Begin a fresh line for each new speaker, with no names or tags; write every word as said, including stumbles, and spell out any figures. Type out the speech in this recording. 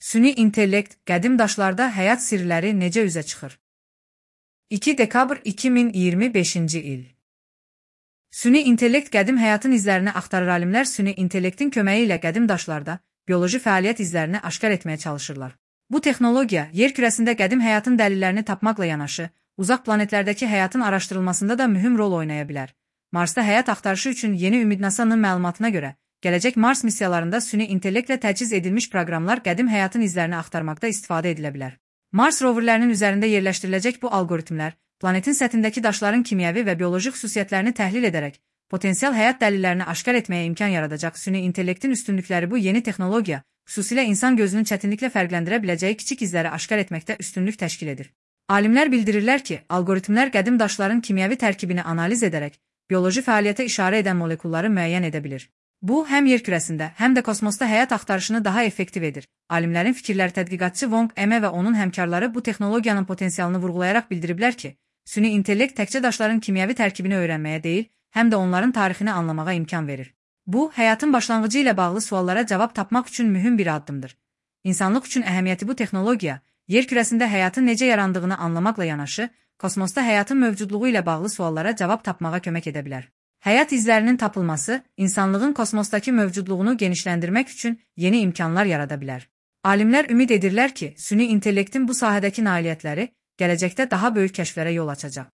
Süni intellekt, qədim daşlarda həyat sirləri necə üzə çıxır? iki dekabr iki min iyirmi beşinci il. Süni intellekt qədim həyatın izlərini axtarır. Alimlər süni intellektin köməyi ilə qədim daşlarda bioloji fəaliyyət izlərini aşkar etməyə çalışırlar. Bu texnologiya yer kürəsində qədim həyatın dəlillərini tapmaqla yanaşı, uzaq planetlərdəki həyatın araşdırılmasında da mühüm rol oynaya bilər. Marsda həyat axtarışı üçün yeni Ümid NASA'nın məlumatına görə, gələcək Mars missiyalarında süni intellektlə təchiz edilmiş proqramlar qədim həyatın izlərini axtarmaqda istifadə edilə bilər. Mars roverlərinin üzərində yerləşdiriləcək bu alqoritmlər, planetin səthindəki daşların kimyəvi və bioloji xüsusiyyətlərini təhlil edərək, potensial həyat dəlillərini aşkar etməyə imkan yaradacaq. Süni intellektin üstünlükləri bu yeni texnologiya, xüsusilə insan gözünün çətinliklə fərqləndirə biləcəyi kiçik izləri aşkar etməkdə üstünlük təşkil edir. Alimlər bildirirlər ki, alqoritmlər qədim daşların kimyəvi tərkibini analiz edərək, bioloji fəaliyyətə işarə edən molekulları müəyyən edə bilir. Bu, həm yer kürəsində, həm də kosmosda həyat axtarışını daha effektiv edir. Alimlərin fikirləri tədqiqatçı Wong Eme və onun həmkarları bu texnologiyanın potensialını vurğulayaraq bildiriblər ki, süni intellekt təkcə daşların kimyəvi tərkibini öyrənməyə deyil, həm də onların tarixini anlamağa imkan verir. Bu, həyatın başlanğıcı ilə bağlı suallara cavab tapmaq üçün mühüm bir addımdır. İnsanlıq üçün əhəmiyyəti bu texnologiya, yer kürəsində həyatın necə yarandığını anlamaqla yanaşı, kosmosda həyatın mövcudluğu ilə bağlı suallara cavab tapmağa kömək edə bilər. Həyat izlərinin tapılması, insanlığın kosmosdakı mövcudluğunu genişləndirmək üçün yeni imkanlar yarada bilər. Alimlər ümid edirlər ki, süni intellektin bu sahədəki nailiyyətləri gələcəkdə daha böyük kəşflərə yol açacaq.